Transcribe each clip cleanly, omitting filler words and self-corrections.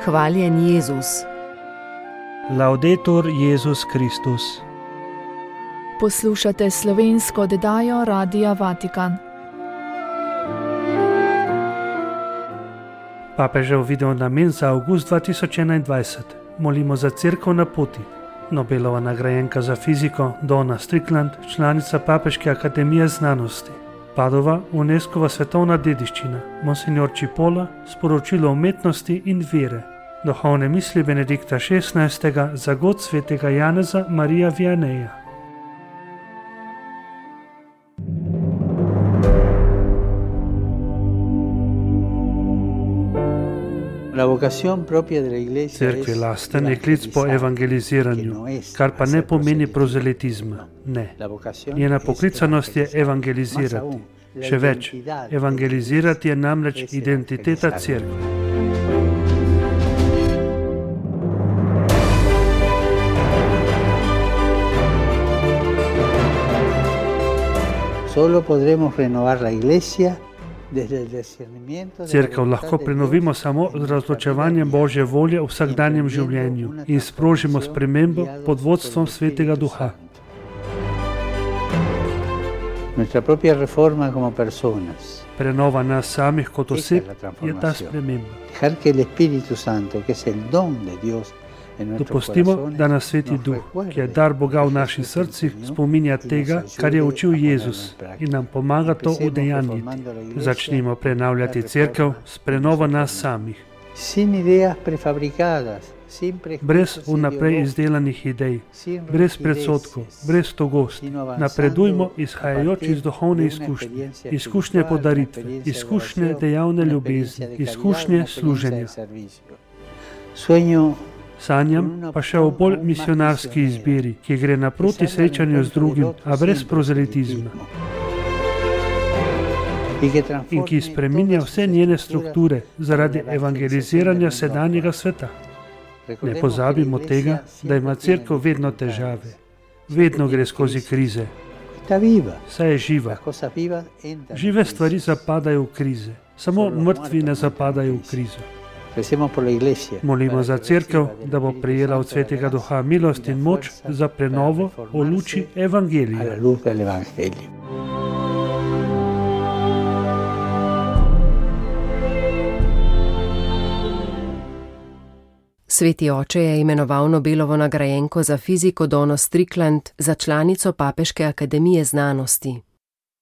Hvaljen Jezus. Laudetur Jezus Kristus. Poslušate slovensko oddajo Radia Vatikan. Papežev video namen za avgust 2021. Molimo za Cerkev na poti. Nobelova nagrajenka za fiziko Donna Strickland, članica Papeške akademije znanosti. Padova, UNESCO-va svetovna dediščina, monsignor Cipolla, sporočilo umetnosti in vere. Duhovne misli Benedikta XVI. Za god svetega Janeza Marija Vianeja. Cerkvi lasten je klic po evangeliziranju, kar pa ne pomeni prozelitizma. Ne. Njena poklicanost je evangelizirati. Še več, evangelizirati je namreč identiteta cerkve. Solo podremos renovar la iglesia. Cerkev lahko prenovimo samo z razločevanjem Božje volje v vsakdanjem življenju in sprožimo spremembo pod vodstvom Svetega Duha. Prenova nas samih kot oseb je ta sprememba. Dopustimo, da nas Sveti Duh, ki je dar Boga v naših srcih, spominja tega, kar je učil Jezus in nam pomaga to udejanjiti. Začnimo prenavljati cerkev s prenovo nas samih. Brez vnaprej izdelanih idej, brez predsodkov, brez togosti. Napredujmo izhajajoč iz duhovne izkušnje, izkušnje podaritve, izkušnje dejavne ljubezni, izkušnje služenja. Sanjam pa še o bolj misionarski izbiri, ki gre naproti srečanju z drugim, a brez prozelitizma. In ki spreminja vse njene strukture zaradi evangeliziranja sedanjega sveta. Ne pozabimo tega, da ima cerkev vedno težave. Vedno gre skozi krize. Saj je živa. Žive stvari zapadajo v krize. Samo mrtvi ne zapadajo v krizo. Molimo za cerkev, da bo prejela od Svetega Duha milost in moč za prenovo v luči Evangelija. Sveti oče je imenoval Nobelovo nagrajenko za fiziko Donno Strickland za članico Papeške akademije znanosti.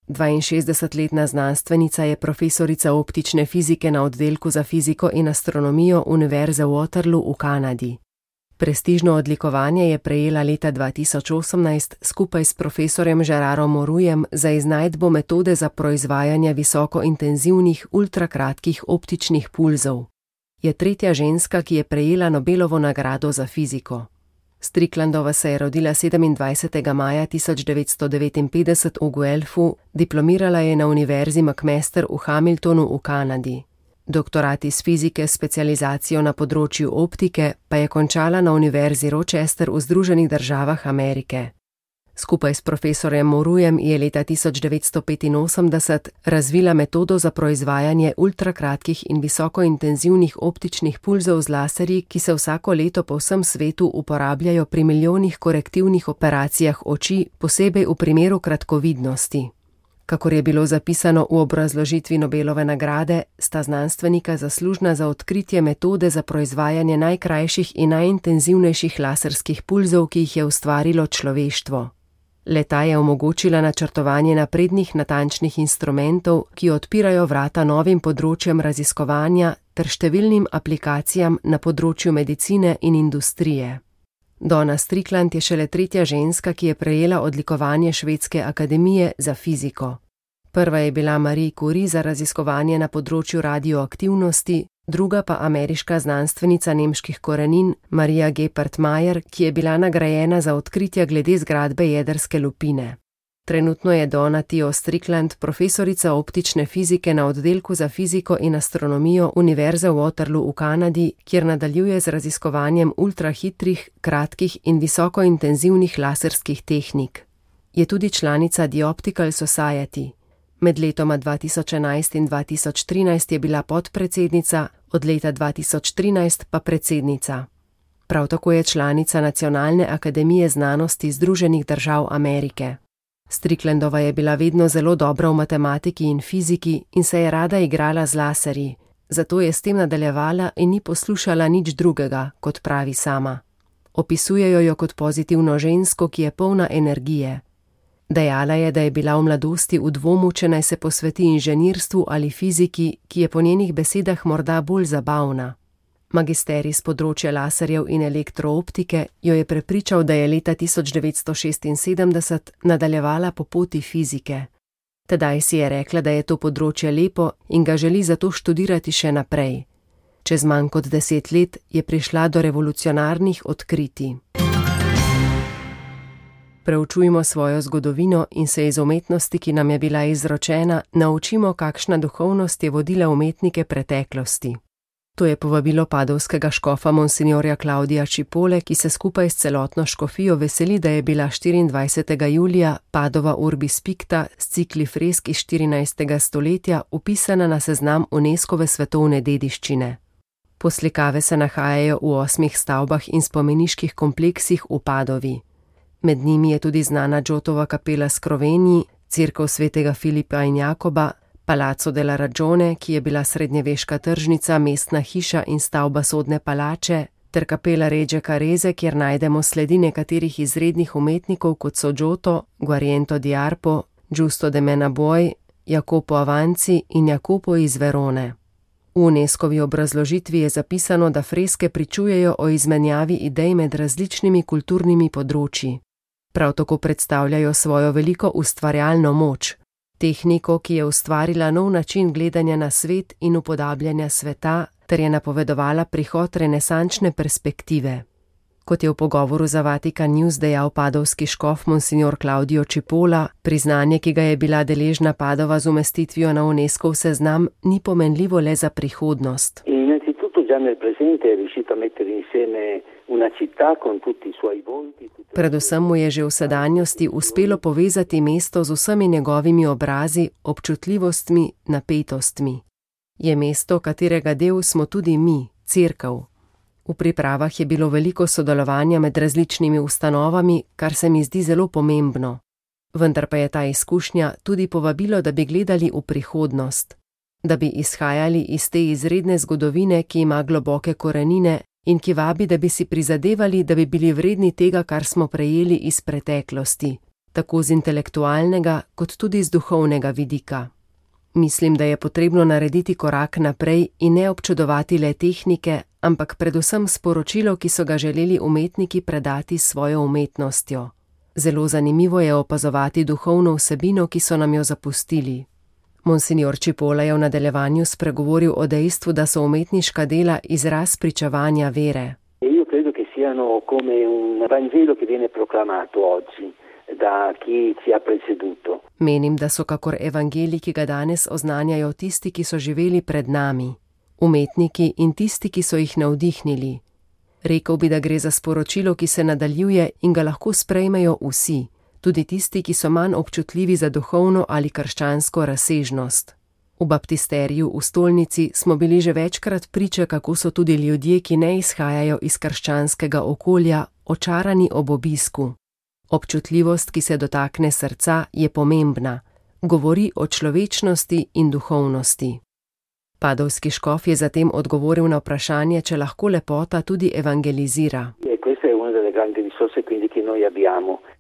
62-letna znanstvenica je profesorica optične fizike na oddelku za fiziko in astronomijo Univerze v Waterloo v Kanadi. Prestižno odlikovanje je prejela leta 2018 skupaj s profesorjem Gerarom Morujem za iznajdbo metode za proizvajanje visokointenzivnih ultrakratkih optičnih pulzov. Je tretja ženska, ki je prejela Nobelovo nagrado za fiziko. Stricklandova se je rodila 27. maja 1959 v Guelphu, diplomirala je na Univerzi McMaster v Hamiltonu v Kanadi. Doktorat iz fizike s specializacijo na področju optike pa je končala na Univerzi Rochester v Združenih državah Amerike. Skupaj s profesorjem Morujem je leta 1985 razvila metodo za proizvajanje ultrakratkih in visokointenzivnih optičnih pulzov z laserji, ki se vsako leto po vsem svetu uporabljajo pri milijonih korektivnih operacijah oči, posebej v primeru kratkovidnosti. Kakor je bilo zapisano v obrazložitvi Nobelove nagrade, sta znanstvenika zaslužna za odkritje metode za proizvajanje najkrajših in najintenzivnejših laserskih pulzov, ki jih je ustvarilo človeštvo. Le-ta je omogočila načrtovanje naprednih natančnih instrumentov, ki odpirajo vrata novim področjem raziskovanja ter številnim aplikacijam na področju medicine in industrije. Donna Strickland je šele tretja ženska, ki je prejela odlikovanje Švedske akademije za fiziko. Prva je bila Marie Curie za raziskovanje na področju radioaktivnosti, druga pa ameriška znanstvenica nemških korenin Maria Gepard-Mayer, ki je bila nagrajena za odkritja glede zgradbe jedrske lupine. Trenutno je Donna Theo Strickland profesorica optične fizike na oddelku za fiziko in astronomijo Univerze v Waterloo v Kanadi, kjer nadaljuje z raziskovanjem ultrahitrih, kratkih in visokointenzivnih laserskih tehnik. Je tudi članica The Optical Society. Med letoma 2011 in 2013 je bila podpredsednica od leta 2013 pa predsednica. Prav tako je članica Nacionalne akademije znanosti Združenih držav Amerike. Stricklandova je bila vedno zelo dobra v matematiki in fiziki in se je rada igrala z laserji, zato je s tem nadaljevala in ni poslušala nič drugega, kot pravi sama. Opisujejo jo kot pozitivno žensko, ki je polna energije. Dejala je, da je bila v mladosti v dvomu, če naj se posveti inženirstvu ali fiziki, ki je po njenih besedah morda bolj zabavna. Magisterij z področja laserjev in elektrooptike jo je prepričal, da je leta 1976 nadaljevala po poti fizike. Tedaj si je rekla, da je to področje lepo in ga želi zato študirati še naprej. Čez manj kot 10 let je prišla do revolucionarnih odkritij. Preučujmo svojo zgodovino in se iz umetnosti, ki nam je bila izročena, naučimo, kakšna duhovnost je vodila umetnike preteklosti. To je povabilo padovskega škofa monsinjorja Claudia Cipole, ki se skupaj s celotno škofijo veseli, da je bila 24. julija Padova Urbis Picta s cikli fresk iz 14. stoletja upisana na seznam UNESCOve svetovne dediščine. Poslikave se nahajajo v 8 stavbah in spomeniških kompleksih v Padovi. Med njimi je tudi znana Giotova kapela Skrovenji, cerkev svetega Filipa in Jakoba, Palazzo della Ragione, ki je bila srednjeveška tržnica, mestna hiša in stavba sodne palače, ter kapela Reggio Carese, kjer najdemo sledi nekaterih izrednih umetnikov, kot so Giotto, Guariento di Arpo, Giusto de Menaboj, Jacopo Avanzi in Jacopo iz Verone. V UNESCOvi obrazložitvi je zapisano, da freske pričujejo o izmenjavi idej med različnimi kulturnimi področji. Prav tako predstavljajo svojo veliko ustvarjalno moč, tehniko, ki je ustvarila nov način gledanja na svet in upodabljanja sveta, ter je napovedovala prihod renesančne perspektive. Kot je v pogovoru za Vatikan News dejal padovski škof monsignor Claudio Cipolla, priznanje, ki ga je bila deležna Padova z umestitvijo na UNESCOv seznam, ni pomenljivo le za prihodnost. Predvsem mu je že v sedanjosti uspelo povezati mesto z vsemi njegovimi obrazi, občutljivostmi, napetostmi. Je mesto, katerega del smo tudi mi, cerkev. V pripravah je bilo veliko sodelovanja med različnimi ustanovami, kar se mi zdi zelo pomembno. Vendar pa je ta izkušnja tudi povabilo, da bi gledali v prihodnost, da bi izhajali iz te izredne zgodovine, ki ima globoke korenine in ki vabi, da bi si prizadevali, da bi bili vredni tega, kar smo prejeli iz preteklosti, tako z intelektualnega kot tudi z duhovnega vidika. Mislim, da je potrebno narediti korak naprej in ne občudovati le tehnike, ampak predvsem sporočilo, ki so ga želeli umetniki predati s svojo umetnostjo. Zelo zanimivo je opazovati duhovno vsebino, ki so nam jo zapustili. Monsignor Cipolla je v nadaljevanju spregovoril o dejstvu, da so umetniška dela izraz pričevanja vere. Io credo che siano come un Vangelo che viene proclamato oggi da chi ci ha preceduto. Menim, da so kakor evangelij, ki ga danes oznanjajo tisti, ki so živeli pred nami, umetniki in tisti, ki so jih navdihnili. Rekel bi, da gre za sporočilo, ki se nadaljuje in ga lahko sprejmejo vsi, tudi tisti, ki so manj občutljivi za duhovno ali krščansko razsežnost. V baptisteriju v stolnici smo bili že večkrat priče, kako so tudi ljudje, ki ne izhajajo iz krščanskega okolja, očarani ob obisku. Občutljivost, ki se dotakne srca, je pomembna. Govori o človečnosti in duhovnosti. Padovski škof je zatem odgovoril na vprašanje, če lahko lepota tudi evangelizira.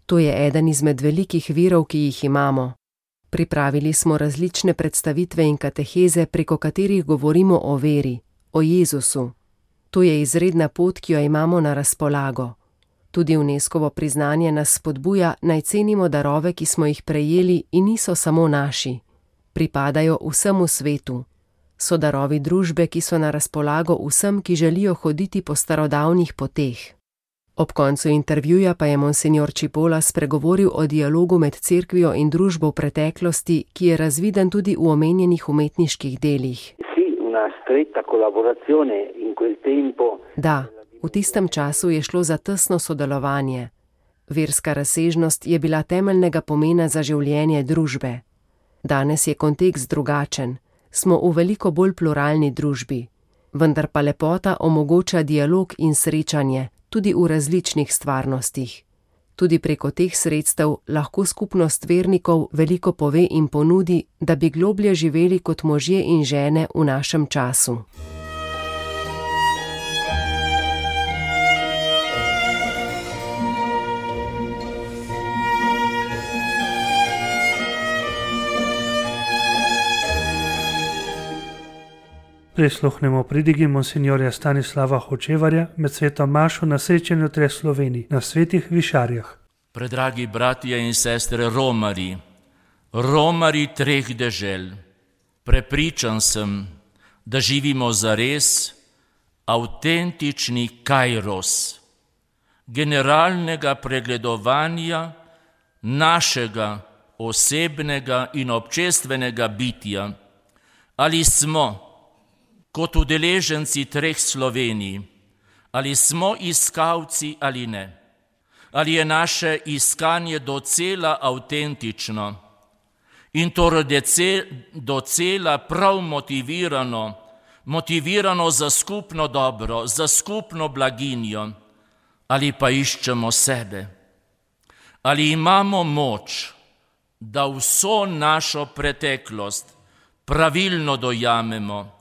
To je eden izmed velikih virov, ki jih imamo. Pripravili smo različne predstavitve in kateheze, preko katerih govorimo o veri, o Jezusu. To je izredna pot, ki jo imamo na razpolago. Tudi UNESCOvo priznanje nas spodbuja, naj cenimo darove, ki smo jih prejeli in niso samo naši. Pripadajo vsemu svetu. So darovi družbe, ki so na razpolago vsem, ki želijo hoditi po starodavnih poteh. Ob koncu intervjuja pa je monsignor Cipolla spregovoril o dialogu med cerkvijo in družbo v preteklosti, ki je razviden tudi v omenjenih umetniških delih. Da, v tistem času je šlo za tesno sodelovanje. Verska razsežnost je bila temeljnega pomena za življenje družbe. Danes je kontekst drugačen. Smo v veliko bolj pluralni družbi. vendar pa lepota omogoča dialog in srečanje tudi v različnih stvarnostih. Tudi preko teh sredstev lahko skupnost vernikov veliko pove in ponudi, da bi globlje živeli kot možje in žene v našem času. Prisluhnemo pridigi monsinjorja Stanislava Hočevarja med sveto mašo na srečanju treh Slovenij na Svetih Višarjah. Predragi bratje in sestre Romari treh dežel, prepričan sem, da živimo zares avtentični kairos, generalnega pregledovanja našega osebnega in občestvenega bitja. Ali smo kot udeleženci treh Slovenij, ali smo iskalci ali ne, ali je naše iskanje docela avtentično in torej docela prav motivirano za skupno dobro, za skupno blaginjo, ali pa iščemo sebe, ali imamo moč, da vso našo preteklost pravilno dojamemo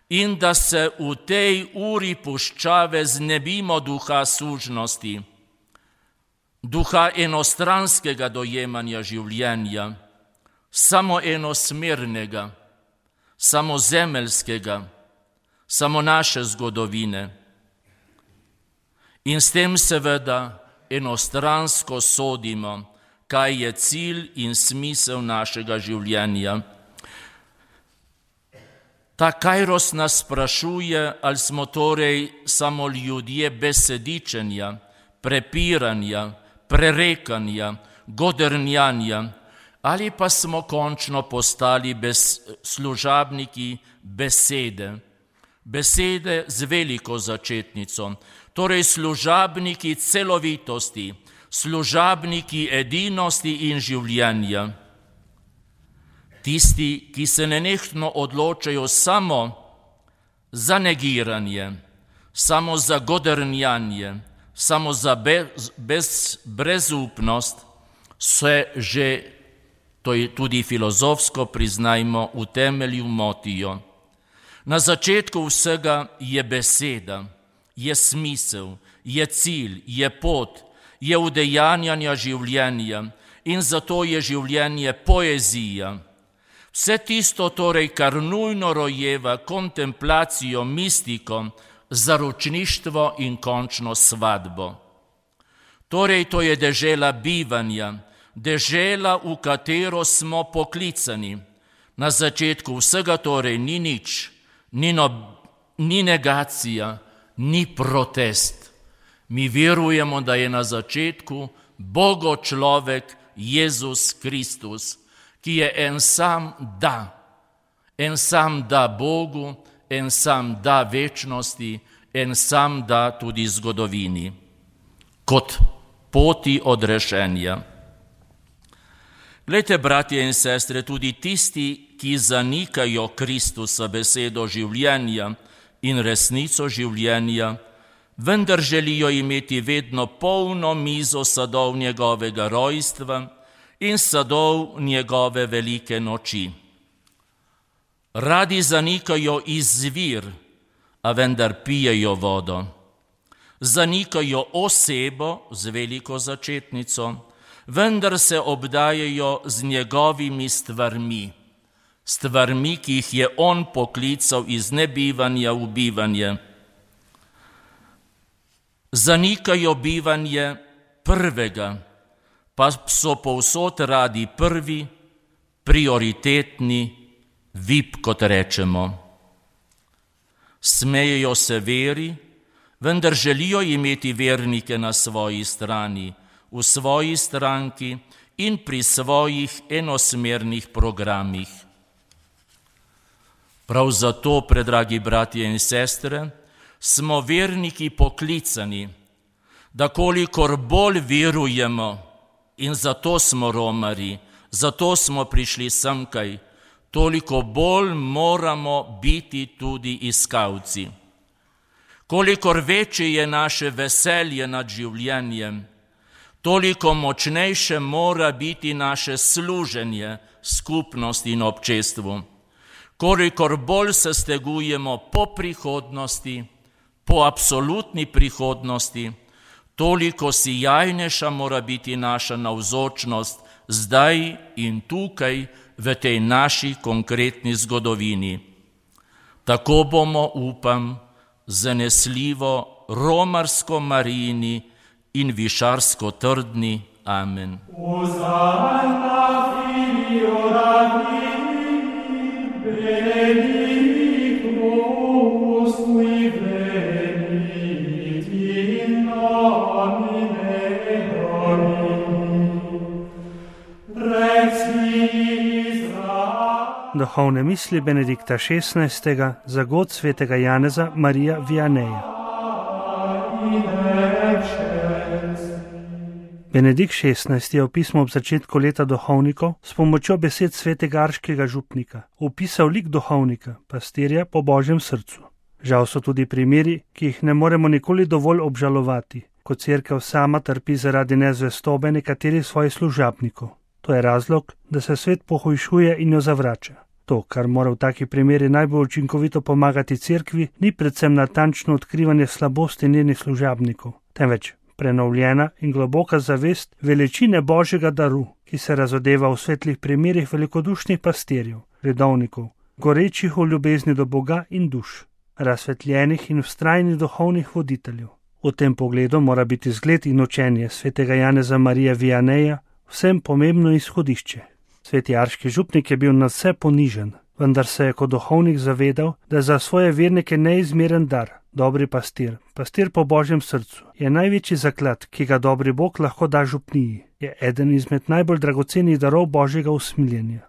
in da se v tej uri puščave znebimo duha sužnosti, duha enostranskega dojemanja življenja, samo enosmernega, samo zemeljskega, samo naše zgodovine. In s tem seveda enostransko sodimo, kaj je cilj in smisel našega življenja. Ta kairos nas sprašuje, ali smo torej samo ljudje besedičenja, prepiranja, prerekanja, godrnjanja, ali pa smo končno postali služabniki besede z veliko začetnico, torej služabniki celovitosti, služabniki edinosti in življenja. Tisti, ki se nenehno odločajo samo za negiranje, samo za godrnjanje, samo za brezupnost, se že, to je tudi filozofsko priznajmo, v temelju motijo. Na začetku vsega je beseda, je smisel, je cilj, je pot, je udejanjanja življenja in zato je življenje poezija. Vse tisto torej, kar nujno rojeva kontemplacijo, mistiko, zaročništvo in končno svadbo. Torej, to je dežela bivanja, dežela, v katero smo poklicani. Na začetku vsega torej ni nič, ni negacija, ni protest. Mi verujemo, da je na začetku Bogo človek Jezus Kristus, ki je en sam da Bogu, en sam da večnosti, en sam da tudi zgodovini, kot poti odrešenja. Glejte, bratje in sestre, tudi tisti, ki zanikajo Kristusa besedo življenja in resnico življenja, vendar želijo imeti vedno polno mizo sadov njegovega rojstva in sadov njegove velike noči. Radi zanikajo izvir, a vendar pijejo vodo. Zanikajo osebo z veliko začetnico, vendar se obdajajo z njegovimi stvarmi, ki jih je on poklical iz nebivanja v bivanje. Zanikajo bivanje prvega, pa so povsod radi prvi, prioritetni, VIP, kot rečemo. Smejejo se veri, vendar želijo imeti vernike na svoji strani, v svoji stranki in pri svojih enosmernih programih. Prav zato, predragi bratje in sestre, smo verniki poklicani, da kolikor bolj verujemo, in zato smo romari, zato smo prišli semkaj, toliko bolj moramo biti tudi iskalci. Kolikor večje je naše veselje nad življenjem, toliko močnejše mora biti naše služenje skupnosti in občestvu. Kolikor bolj se stegujemo po prihodnosti, po absolutni prihodnosti, toliko sijajnejša mora biti naša navzočnost zdaj in tukaj v tej naši konkretni zgodovini. Tako bomo, upam, zanesljivo romarsko Marijini in višarsko trdni. Amen. Duhovne misli Benedikta XVI. Za god svetega Janeza Marija Vianeja. Benedikt XVI. Je v pismu ob začetku leta duhovnikov s pomočjo besed svetega arškega župnika opisal lik duhovnika, pastirja po Božjem srcu. Žal so tudi primeri, ki jih ne moremo nikoli dovolj obžalovati, ko cerkev sama trpi zaradi nezvestobe nekaterih svojih služabnikov. To je razlog, da se svet pohujšuje in jo zavrača. To, kar mora v takih primerih najbolj učinkovito pomagati cerkvi, ni predvsem natančno odkrivanje slabosti njenih služabnikov, temveč prenovljena in globoka zavest veličine Božjega daru, ki se razodeva v svetlih primerih velikodušnih pastirjev, redovnikov, gorečih v ljubezni do Boga in duš, razsvetljenih in vztrajnih duhovnih voditeljev. V tem pogledu mora biti zgled in učenje svetega Janeza Marija Vianeja vsem pomembno izhodišče. Sveti arški župnik je bil nadvse ponižen, vendar se je kot duhovnik zavedal, da za svoje vernike neizmeren dar, dobri pastir, pastir po Božjem srcu, je največji zaklad, ki ga dobri Bog lahko da župniji, je eden izmed najbolj dragocenih darov Božjega usmiljenja.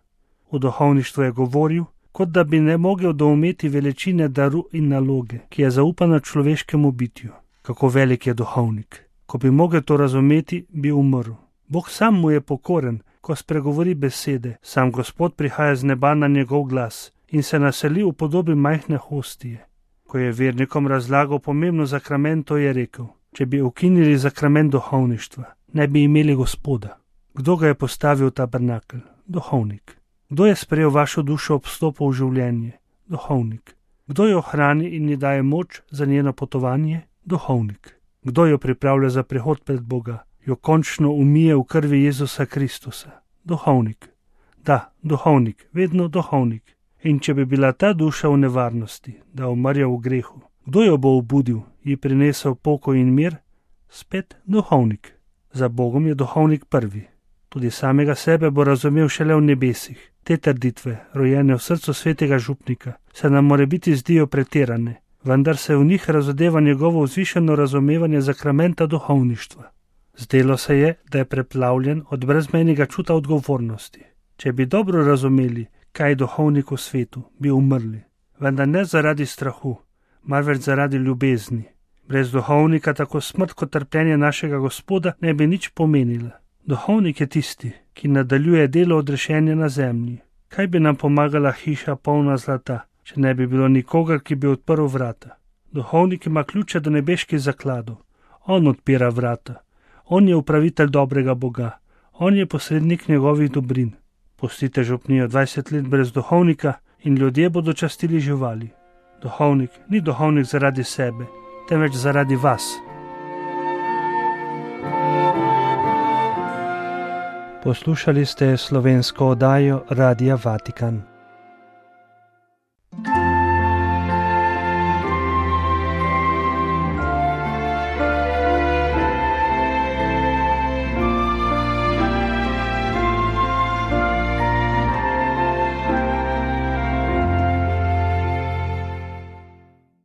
V duhovništvu je govoril, kot da bi ne mogel doumeti veličine daru in naloge, ki je zaupana človeškemu bitju. Kako velik je duhovnik. Ko bi mogel to razumeti, bi umrl. Bog sam mu je pokoren, ko spregovori besede, sam Gospod prihaja z neba na njegov glas in se naseli v podobi majhne hostije. Ko je vernikom razlagal pomembno zakramento, je rekel, če bi ukinili zakrament duhovništva, ne bi imeli Gospoda. Kdo ga je postavil v tabernakelj? Duhovnik. Kdo je sprejel vašo dušo ob vstopu v življenje? Duhovnik. Kdo jo hrani in ji daje moč za njeno potovanje? Duhovnik. Kdo jo pripravlja za prihod pred Boga? Jo končno umije v krvi Jezusa Kristusa. Duhovnik. Da, duhovnik, vedno duhovnik. In če bi bila ta duša v nevarnosti, da umrja v grehu, kdo jo bo obudil, ji prinesel pokoj in mir? Spet duhovnik. Za Bogom je duhovnik prvi. Tudi samega sebe bo razumel šele v nebesih. Te trditve, rojene v srcu svetega župnika, se nam morebiti zdijo pretirane, vendar se v njih razodeva njegovo vzvišeno razumevanje zakramenta duhovništva. Zdelo se je, da je preplavljen od brezmejnega čuta odgovornosti. Če bi dobro razumeli, kaj je duhovnik v svetu, bi umrli. Vendar ne zaradi strahu, marveč zaradi ljubezni. Brez duhovnika tako smrt kot trpljenje našega Gospoda ne bi nič pomenila. Duhovnik je tisti, ki nadaljuje delo odrešenja na zemlji. Kaj bi nam pomagala hiša polna zlata, če ne bi bilo nikogar, ki bi odprl vrata? Duhovnik ima ključe do nebeških zakladov. On odpira vrata. On je upravitelj dobrega Boga. On je posrednik njegovih dobrin. Pustite župnijo 20 let brez duhovnika in ljudje bodo častili živali. Duhovnik ni duhovnik zaradi sebe, temveč zaradi vas. Poslušali ste slovensko oddajo Radia Vatikan.